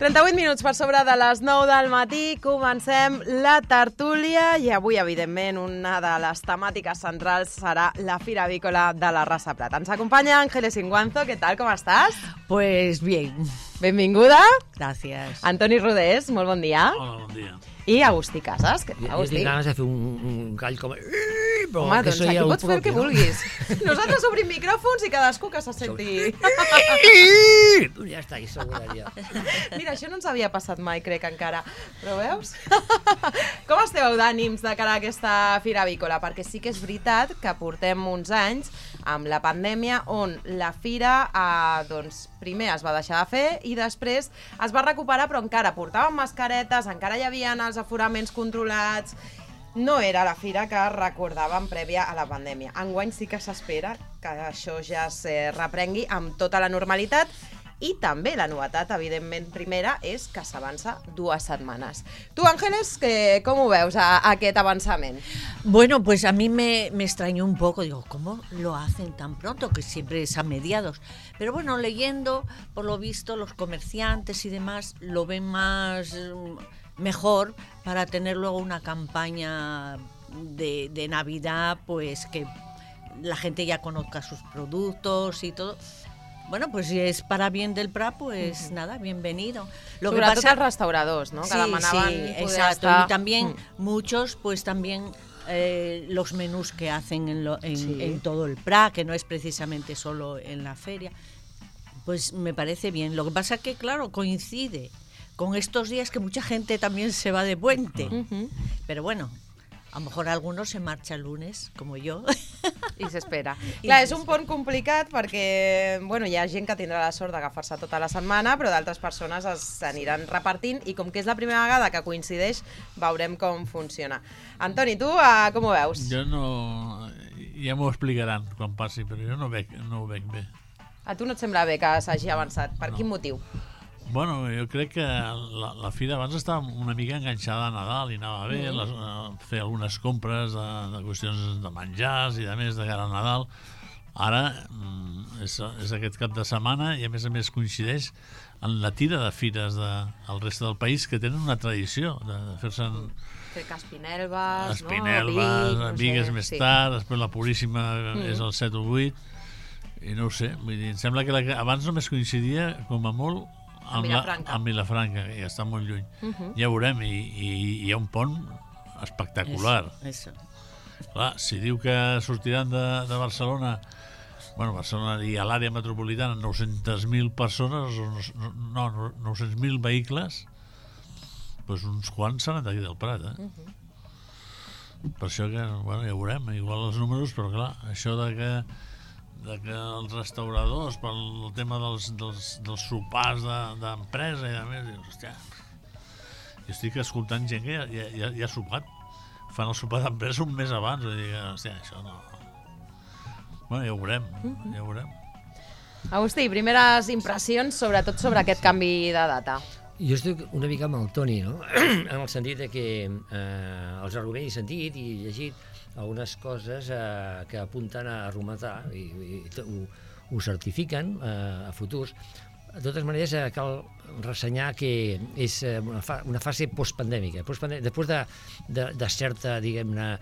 38 minuts per sobre de les 9 del matí, comencem la tertúlia i avui, evidentment, una de les temàtiques centrals serà la Fira Avícola de la Rasa Prat. Ens acompanya Ángeles Inguanzo, ¿qué tal? ¿Cómo estás? Pues bien. Benvinguda. Gracias. Antoni Rodés, molt bon dia. Hola, bon dia. I Agustí Casas. Jo Agustí. tinc ganes de fer un gall com... Però Home, doncs aquí pots fer el que vulguis. No? Nosaltres obrim micròfons i cadascú que se senti... Ja està, i seguraria. Mira, això no ens havia passat mai, crec, encara. Però veus? Com esteu d'ànims de cara a aquesta Fira Avícola? Perquè sí que és veritat que portem uns anys amb la pandèmia on la fira doncs, primer es va deixar de fer i després es va recuperar, però encara portaven mascaretes, encara hi havia els aforaments controlats. No era la fira que recordàvem prèvia a la pandèmia. Enguany sí que s'espera que això ja es reprengui amb tota la normalitat. I també la novetat, evidentment, primera, és que s'avança 2 setmanes. Tu, Ángeles, com ho veus, aquest avançament? Bueno, pues a mí me extrañó un poco. Digo, ¿cómo lo hacen tan pronto? Que siempre es a mediados. Pero bueno, leyendo, por lo visto, los comerciantes y demás lo ven más mejor para tener luego una campaña de Navidad, pues que la gente ya conozca sus productos y todo. Bueno, pues si es para bien del Prat, pues nada, bienvenido. Lo que pasa els restauradors, ¿no? Que demanaven sí, poder exacto. estar... Y también muchos, pues también los menús que hacen en todo el Prat, que no es precisamente solo en la feria, pues me parece bien. Lo que pasa que, claro, coincide con estos días que mucha gente también se va de puente. Pero bueno, a lo mejor algunos se marcha el lunes, como yo. I s'espera. Clar, és un pont complicat perquè bueno, hi ha gent que tindrà la sort d'agafar-se tota la setmana, però d'altres persones s'aniran repartint i com que és la primera vegada que coincideix, veurem com funciona. Antoni, tu com ho veus? Jo no... Ja m'ho explicaran quan passi, però jo no ho veig bé. A tu no et sembla bé que s'hagi avançat? Per quin motiu? Bueno, jo crec que la fira abans estava una mica enganxada a Nadal i anava bé, fer algunes compres de qüestions de menjars i de més de cara a Nadal. Ara és aquest cap de setmana i a més coincideix en la tira de fires del reste del país que tenen una tradició de fer-se... Fer que Espinelves, Espinelves, Bigues més tard, després la Puríssima és el 7 o 8, i no ho sé, vull dir, em sembla que abans només coincidia com a molt amb Vilafranca, que ja està molt lluny. Ja veurem, i hi ha un pont espectacular. Eso. Clar, si diu que sortiran de Barcelona, bueno, Barcelona i a l'àrea metropolitana 900.000 persones, no, 900.000 vehicles, doncs uns quants seran d'aquí del Prat, Per això que, bueno, ja veurem, igual els números, però clar, això de que els restauradors, pel tema dels sopars d'empresa i de més, dius, hòstia, jo estic escoltant gent que ja ha sopat, fan el sopar d'empresa un mes abans, vull dir que, hòstia, això no... Bueno, ja ho veurem. Agustí, primeres impressions, sobretot sobre aquest canvi de data. Jo estic una mica amb el Toni, no? En el sentit que els arguments he sentit i llegit algunes coses que apunten a remuntar i ho certifiquen a futurs. De totes maneres, cal ressenyar que és una fase postpandèmica. Després de certa, diguem-ne,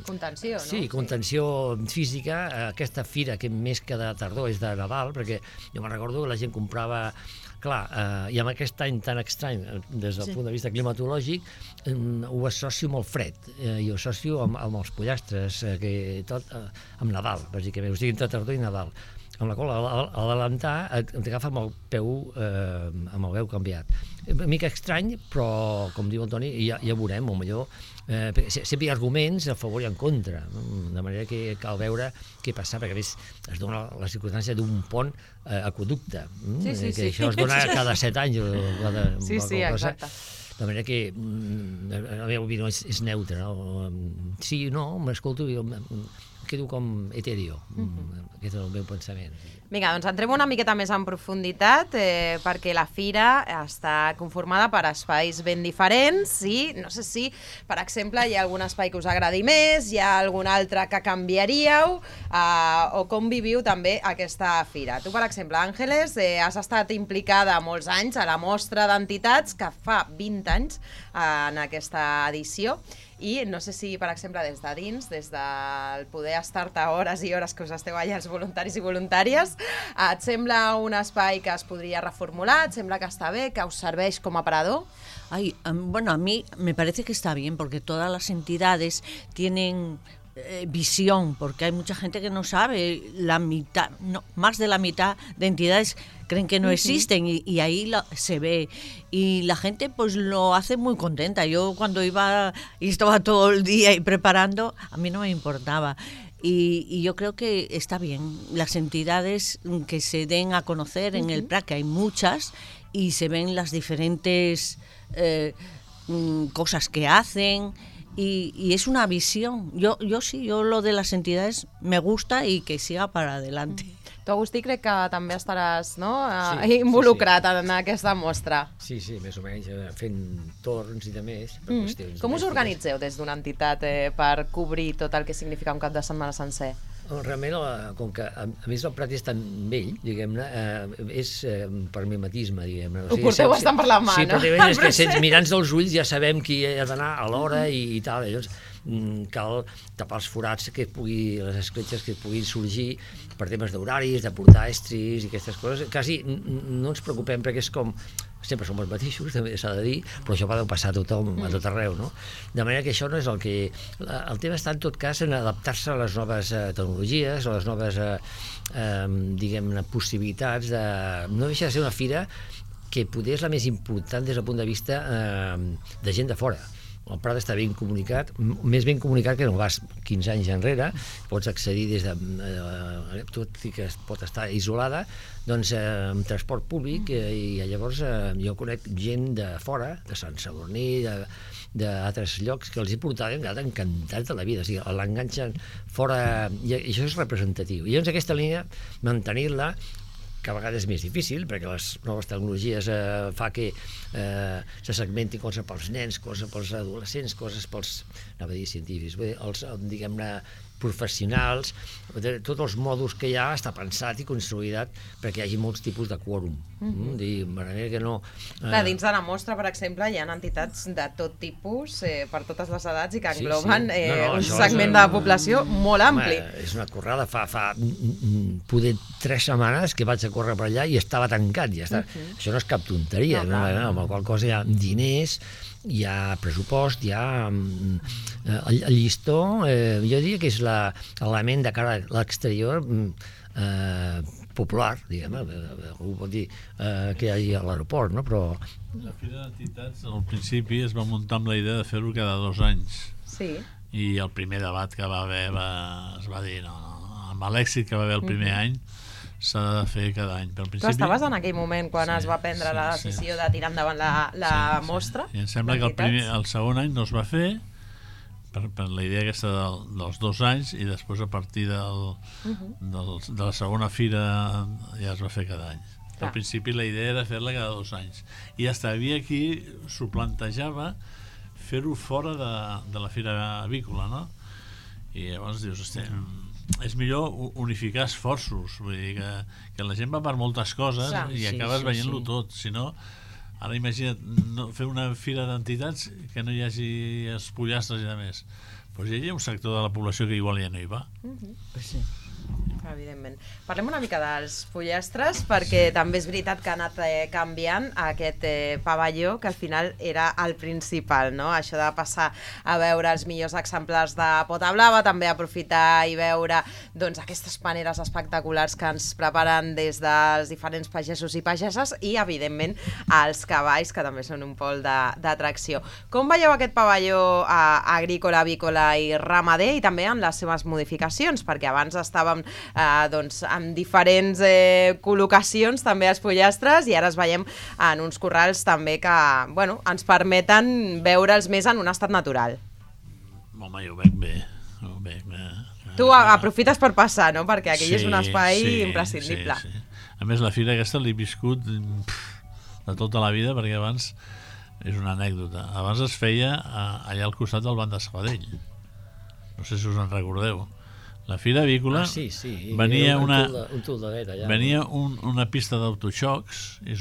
contenció, no? Sí, contenció física. Aquesta fira, que més que de tardor és de Nadal, perquè jo me'n recordo que la gent comprava... Clar, i amb aquest any tan estrany des del punt de vista climatològic ho associo molt fred i ho associo amb els pollastres tot amb Nadal, bàsicament, o sigui, entre tardor i Nadal, amb la qual a l'adelantar t'agafa amb el peu canviat. Una mica estrany, però com diu el Toni, ja veurem, o millor sempre hi ha arguments a favor i en contra, de manera que cal veure què passa, perquè a més es dona la circumstància d'un pont aqüeducte, que això es dona cada 7 anys. Sí, exacte. De manera que la meva opinió és neutra, no? Sí, no, m'escolto, quedo com etèreo. Aquest és el meu pensament. Vinga, doncs entrem una miqueta més en profunditat perquè la fira està conformada per espais ben diferents i no sé si, per exemple, hi ha algun espai que us agradi més, hi ha algun altre que canviaríeu o com viviu també aquesta fira. Tu, per exemple, Àngeles, has estat implicada molts anys a la mostra d'entitats que fa 20 anys en aquesta edició i no sé si, per exemple, des de dins, des del poder estar-te hores i hores que us esteu allà els voluntaris i voluntàries, et sembla un espai que es podria reformular? Et sembla que està bé, que us serveix com a aparador? Ay, bueno, a mí me parece que está bien porque todas las entidades tienen visión, porque hay mucha gente que no sabe, la mitad, no, más de la mitad de entidades creen que no existen y ahí se ve y la gente pues lo hace muy contenta. Yo cuando iba y estaba todo el día y preparando, a mí no me importaba. Y yo creo que está bien las entidades que se den a conocer en el PRAC, que hay muchas, y se ven las diferentes cosas que hacen. Y es una visión. Yo lo de las entidades me gusta y que siga para adelante. Tu, Agustí, crec que també estaràs Sí, involucrat en aquesta mostra. Sí, més o menys, fent torns i de més. Com us organitzeu des d'una entitat per cobrir tot el que significa un cap de setmana sencer? Realment, com que a més el Prat és tan vell, diguem-ne, és per mimetisme, diguem-ne. Ho porteu bastant per la mà, sí, no? Sí, però és que mirant dels ulls ja sabem qui ha d'anar a l'hora i tal. Llavors cal tapar els forats, les escletxes que puguin sorgir per temes d'horaris, de portar estris i aquestes coses. Quasi no ens preocupem perquè és com... Sempre som els mateixos, també s'ha de dir, però això va passar a tothom, a tot arreu, no? De manera que això no és el que... El tema està, en tot cas, en adaptar-se a les noves tecnologies, a les noves, diguem-ne, possibilitats de... No deixa de ser una fira que poder és la més important des del punt de vista de gent de fora. El Prat està ben comunicat, més ben comunicat que no vas 15 anys enrere, pots accedir des de... tot i que pot estar isolada, doncs amb transport públic i llavors jo conec gent de fora, de Sant Sadurní, d'altres llocs que els he portat i han quedat encantats de la vida, o sigui, l'enganxen fora i això és representatiu. I llavors aquesta línia, mantenir-la, que a vegades és més difícil, perquè les noves tecnologies fa que se segmentin coses pels nens, coses pels adolescents, coses pels, anava a dir científics, els, diguem-ne, professionals, tots els mòduls que hi ha està pensat i construït perquè hi hagi molts tipus de quòrum. De manera que no... Clar, dins de la mostra, per exemple, hi ha entitats de tot tipus, per totes les edats, i que engloben un segment de la població molt ampli. És una corrada, fa poder 3 setmanes que vaig a córrer per allà i estava tancat. Això no és cap tonteria, amb la qual cosa hi ha diners, hi ha pressupost, hi ha el llistó, jo diria que és l'element de cara a l'exterior popular, diguem, algú pot dir que hi hagi a l'aeroport, no? Però... La Fira d'Entitats al principi es va muntar amb la idea de fer-ho cada 2 anys. Sí. I el primer debat que va haver es va dir, no, amb l'èxit que va haver el primer any, s'ha de fer cada any. Tu estaves en aquell moment quan es va prendre la decisió de tirar endavant la mostra? I em sembla que el segon any no es va fer per la idea aquesta dels 2 anys i després a partir de la segona fira ja es va fer cada any. Al principi la idea era fer-la cada 2 anys i hasta havia qui s'ho plantejava fer-ho fora de la fira avícola, no? I llavors dius, és millor unificar esforços, vull dir que la gent va per moltes coses i acabes veient-lo tot, si no, ara imagina't fer una fira d'entitats que no hi hagi pollastres i de més, doncs hi ha un sector de la població que igual ja no hi va. Sí. Evidentment. Parlem una mica dels pollastres perquè també és veritat que ha anat canviant aquest pavelló que al final era el principal, no? Això de passar a veure els millors exemplars de pota blava, també aprofitar i veure doncs, aquestes paneres espectaculars que ens preparen des dels diferents pagesos i pageses i evidentment els cavalls que també són un pol d'atracció. Com veieu aquest pavelló agrícola, avícola i ramader i també en les seves modificacions? Perquè abans estàvem doncs, amb diferents col·locacions també als pollastres i ara es veiem en uns corrals també que ens permeten veure'ls més en un estat natural. Home, jo ho veig bé. Bé, Tu aprofites per passar, no? Perquè aquell és un espai imprescindible. Sí. A més, la fira aquesta l'he viscut de tota la vida, perquè abans, és una anècdota, abans es feia allà al costat del Banc de Sabadell. No sé si us en recordeu. La fira avícola venia una pista d'autoxocs, i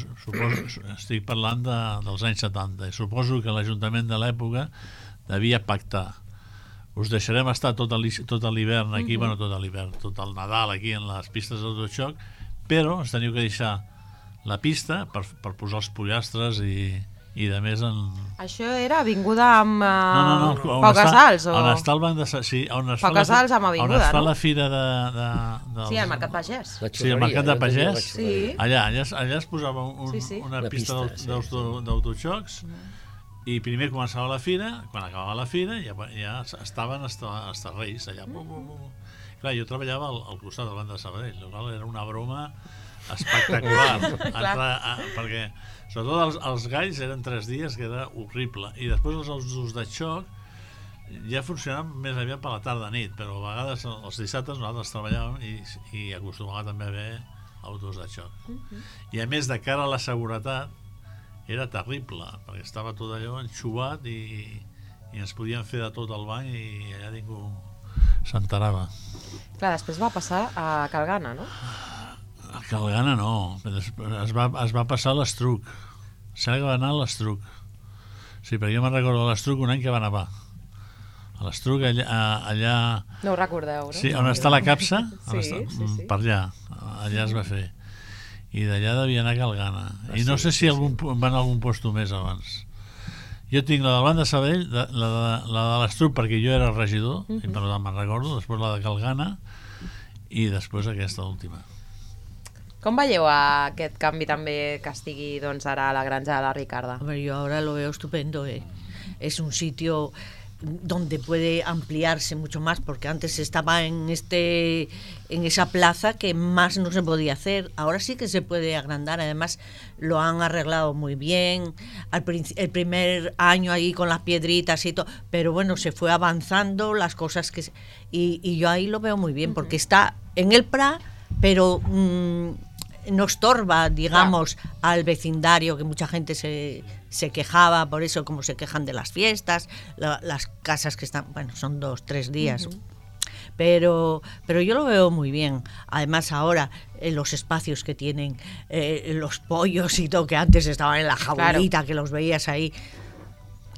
estic parlant dels anys 70, i suposo que l'Ajuntament de l'època devia pactar. Us deixarem estar tot l'hivern aquí, bueno, tot l'hivern, tot el Nadal aquí en les pistes d'autoxoc, però ens teniu que deixar la pista per posar els pollastres i de més en... Això era avinguda amb Pau Casals? On està el banc de... Sí, on es Pau Casals amb avinguda, no? On es fa la fira de... Sí, al Mercat Pagès. Sí, al Mercat de Pagès. Sí. Allà es posava una pista d'autoxocs i primer començava la fira, quan acabava la fira ja estaven els Reis allà. Clar, jo treballava al costat del Banc de Sabadell, era una broma espectacular, perquè sobretot els galls eren 3 dies, que era horrible, i després els autos de xoc ja funcionaven més aviat per la tarda-nit, però a vegades els dissabtes nosaltres treballàvem i acostumava també a haver autos de xoc. I a més, de cara a la seguretat era terrible, perquè estava tot allò enxuvat i ens podien fer de tot al banc i allà ningú s'enterava. Clar, després va passar a Calgana, no? A Calgana no, es va passar a l'Estruc. Sembla que va anar a l'Estruc. Sí, perquè jo me'n recordo a l'Estruc un any que va nevar. A l'Estruc, allà... No ho recordeu, no? Sí, on està la capsa, sí. per allà es va fer. I d'allà devia anar a Calgana. I no sé si van a algun lloc més abans. Jo tinc la del Banc de Sabadell, la de l'Estruc, perquè jo era regidor, i per tant me'n recordo, després la de Calgana, i després aquesta última. Com veieu aquest canvi també que estigui ara a la granja de la Ricarda? Yo ahora lo veo estupendo. Es un sitio donde puede ampliarse mucho más, porque antes estaba en esa plaza que más no se podía hacer. Ahora sí que se puede agrandar, además lo han arreglado muy bien. El primer año ahí con las piedritas y todo, pero bueno, se fue avanzando las cosas y yo ahí lo veo muy bien, porque está en el Prat, pero no estorba, digamos, al vecindario, que mucha gente se quejaba por eso, como se quejan de las fiestas, las casas que están, bueno, son 2-3 días. Pero yo lo veo muy bien. Además ahora los espacios que tienen los pollos y todo, que antes estaban en la jaulita, que los veías ahí.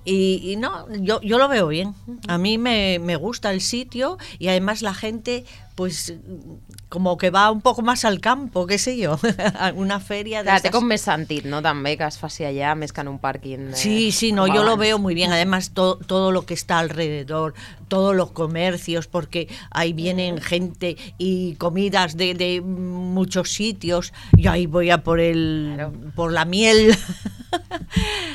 Y no, yo lo veo bien. A mí me gusta el sitio y además la gente, pues, como que va un poco más al campo, qué sé yo, una feria de... Té com més sentit, no?, també, que es faci allà, més que en un pàrquing... Sí, no, yo lo veo muy bien. Además, todo lo que está alrededor, todos los comercios, porque ahí vienen gente y comidas de muchos sitios. Yo ahí voy a por la miel...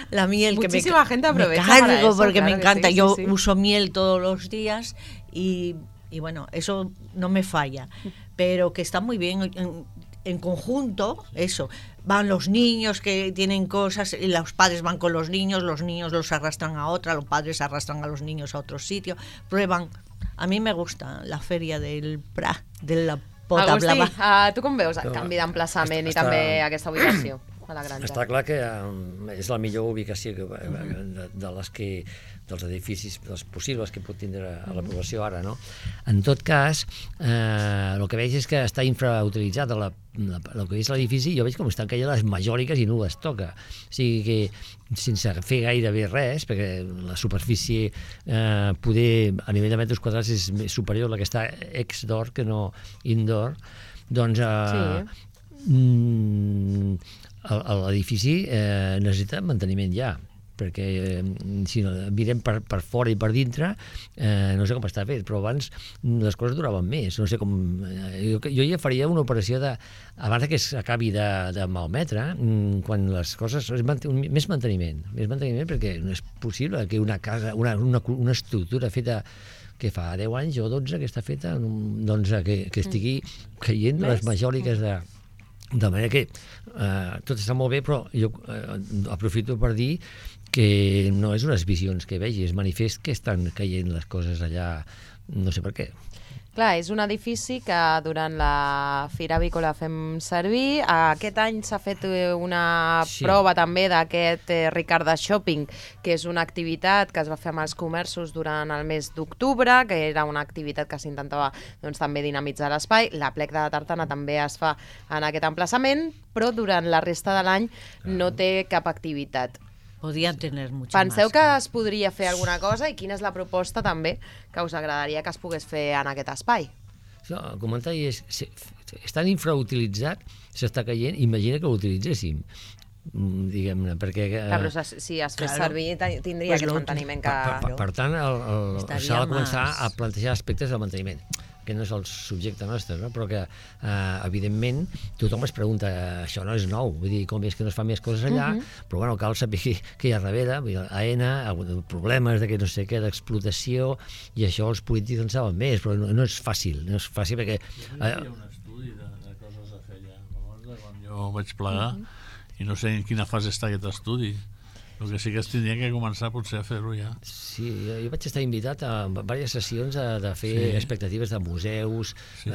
La miel que muchísima gente aprovecha me cargo para eso, porque claro, me encanta. sí, Yo sí. uso miel todos los días y bueno, eso no me falla. Pero que está muy bien en conjunto, eso. Van los niños que tienen cosas y los padres van con los niños los arrastran a otra, los padres arrastran a los niños a otro sitio, prueban. A mí me gusta la feria del Prat, de la Pota Blava. Agustí, tu com veus el canvi d'emplaçament i també aquesta ubicació a la granja? Està clar que és la millor ubicació dels edificis dels possibles que pot tindre a la població ara, no? En tot cas, el que veig és que està infrautilitzat el que és l'edifici. Jo veig com estan caient les majòliques i no les toca, o sigui que sense fer gairebé res, perquè la superfície poder a nivell de metres quadrats és més superior a la que està ex-door que no indoor, doncs l'edifici necessita manteniment ja, perquè si mirem per fora i per dintre no sé com està fet, però abans les coses duraven més, no sé com jo ja faria una operació abans que s'acabi de malmetre, quan les coses més manteniment, perquè no és possible que una casa, una estructura feta que fa 10 anys o 12 que està feta, doncs que estigui caient les majòliques de manera que tot està molt bé, però jo aprofito per dir que no és unes visions que vegi, és manifest que estan caient les coses allà no sé per què. Clar, és un edifici que durant la Fira Avícola fem servir. Aquest any s'ha fet una prova també d'aquest Ricard de Shopping, que és una activitat que es va fer amb els comerços durant el mes d'octubre, que era una activitat que s'intentava també dinamitzar l'espai. La Plec de la Tartana també es fa en aquest emplaçament, però durant la resta de l'any no té cap activitat. Podien tener mucho Penseu más. que es podria fer alguna cosa i quina és la proposta també que us agradaria que es pogués fer en aquest espai? El comentari és, és tan infrautilitzat, s'està caient, imagina que l'utilitzéssim, diguem-ne, perquè... Clar, però si es fes servir tindria aquest manteniment que... Per tant, Estaria s'ha de començar más. a plantejar aspectes del manteniment, que no és el subjecte nostre, no? Però que, evidentment, tothom es pregunta, això no és nou, vull dir, com és que no es fan més coses allà, però bueno, cal saber què hi ha darrere, vull dir, AENA, problemes de que no sé què, d'explotació, i això els polítics en saben més, però no és fàcil, perquè... Hi ha un estudi de coses a fer allà, quan jo vaig plegar, i no sé en quina fase està aquest estudi. El que sí que es tindria que començar potser a fer-ho ja. Sí, jo vaig estar invitat a diverses sessions de fer expectatives de museus,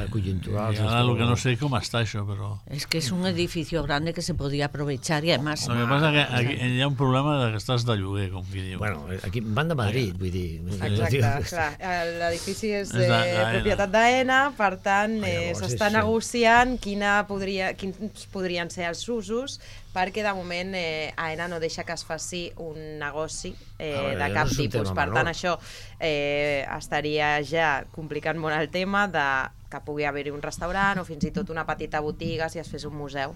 conjunturals... I ara el que no sé com està això, però... Es que es un edificio grande que se podía aprovechar y además... El que passa que aquí hi ha un problema de que estàs de lloguer, com qui diu. Bueno, aquí van de Madrid, vull dir... Exacte, clar. L'edifici és de d'AENA. propietat d'AENA, per tant, Llavors s'està és- negociant quins podrien ser els usos, perquè de moment AENA no deixa que es faci un negoci de no cap és un tipus. tema Per tant, menor. això estaria ja complicant molt el tema de que pugui haver-hi un restaurant o fins i tot una petita botiga si es fes un museu,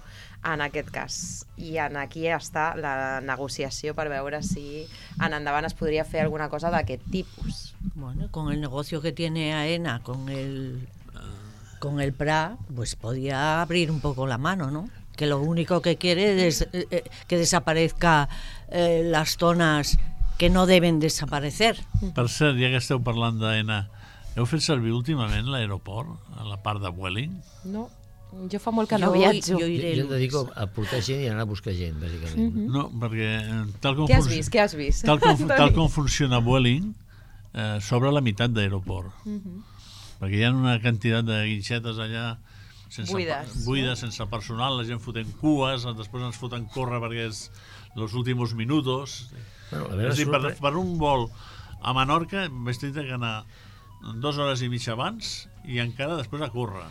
en aquest cas. I aquí està la negociació per veure si en endavant es podria fer alguna cosa d'aquest tipus. Bueno, con el negocio que tiene AENA, con el PRA, pues podía abrir un poco la mano, ¿no? Que lo único que quiere es que desaparezca las zonas que no deben desaparecer. Per cert, ja que esteu parlant d'AENA, heu fet servir últimament l'aeroport, a la part de Vueling? No, jo fa molt que no viatjo. Jo iré Jo em dedico a portar gent i anar a buscar gent, bàsicament. No, perquè tal com, Què has vist? Què has vist? tal com funciona Vueling, s'obre la meitat d'aeroport. Perquè hi ha una quantitat de guinxetes allà buides, sense personal, la gent fotent cues, després ens foten córrer perquè és els últimos minutos. Bueno, a És a dir, veure, per un vol a Menorca vaig tenir que anar 2 hores i mitja abans i encara després a córrer.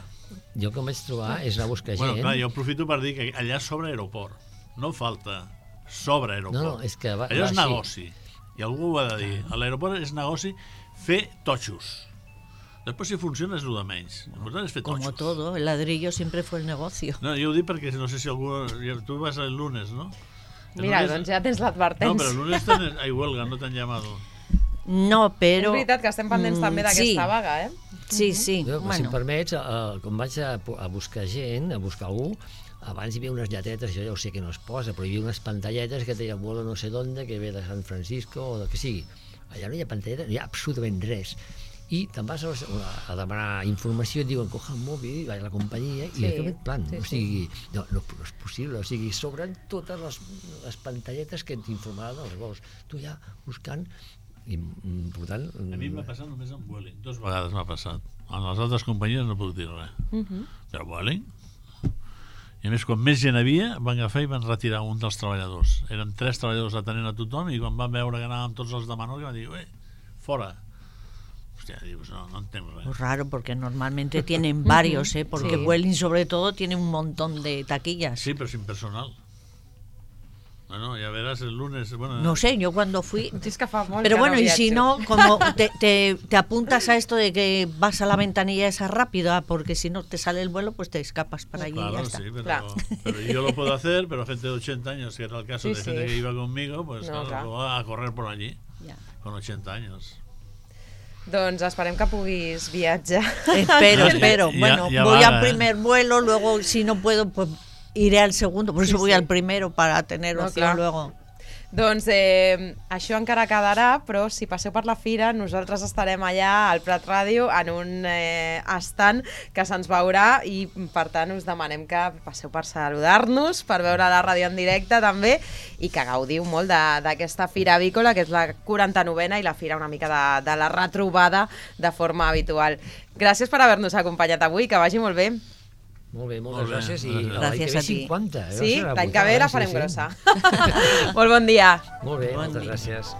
jo el que em vaig trobar és anar a buscar Bueno, gent... clar, jo aprofito per dir que allà s'obre aeroport. No falta, s'obre aeroport. No, és que va allò és així. negoci. I algú ho ha de dir. A l'aeroport és negoci fer totxos. Després si funciona és el de menys. L'important és fer totxos. Como todo, el ladrillo siempre fue el negocio. No, jo ho dic perquè no sé si algú... Tu vas el lunes, no? Mira, doncs ja tens No, l'advertència. però el lunes hay huelga, no t'han llamado. No, És pero... veritat que estem pendents també d'aquesta sí. vaga, eh? Sí, sí, Jo, si em bueno. permets, quan vaig a buscar gent, a buscar algú, abans hi havia unes lletetes, jo ja ho sé que no es posa, però hi havia unes pantalletes que deia vuelo no sé dónde, que ve de San Francisco o del que sigui. Allà no hi ha pantalletes, no hi ha absolutament res. I te'n vas a demanar informació, et diuen, coja el mòbil, va a la companyia, i aquest plan, o sigui, no és possible, o sigui, sobren totes les pantalletes que t'informaran dels vols. Tu ja buscant, i per tant... A mi m'ha passat només amb Vueling. 2 vegades m'ha passat. En les altres companyies no puc dir res. Però Vueling... I a més, quan més gent havia, van agafar i van retirar un dels treballadors. Eren 3 treballadors atenent a tothom i quan van veure que anàvem tots els de Menorca van dir, fora. Hòstia, dius, no entenc res. Pues raro, porque normalmente tienen varios, porque Sí. Vueling sobre todo tiene un montón de taquillas. Sí, però sin personal. Bueno, ya verás el lunes... Bueno, No sé, yo cuando fui... És que fa molt Pero que bueno, no y si viatjo. no, como te apuntas a esto de que vas a la ventanilla esa rápida, porque si no te sale el vuelo, pues te escapas para allí y claro, ya está. sí, Claro. pero yo lo puedo hacer, pero gente de 80 años, que era el caso Sí, de gente sí. que iba conmigo, pues No, claro, clar. lo va a correr por allí, Ya. con 80 años. Doncs esperem que puguis viatjar. Espero. Ya- Bueno, ya voy vaga, al primer vuelo, luego si no puedo, pues iré al segundo. Por eso Sí, voy sí. al primero para tener No, opción clar. luego. Doncs això encara quedarà, però si passeu per la fira, nosaltres estarem allà al Prat Ràdio en un estant que se'ns veurà i per tant us demanem que passeu per saludar-nos, per veure la ràdio en directe també i que gaudiu molt d'aquesta fira avícola, que és la 49a i la fira una mica de la retrobada de forma habitual. Gràcies per haver-nos acompanyat avui, que vagi molt bé. Molt bé, moltes gràcies. I Gràcies l'any que ve a ti. 50. Sí, l'any que ve la farem sí. grossa. Molt bon dia. Molt bé, Bon moltes dia. gràcies.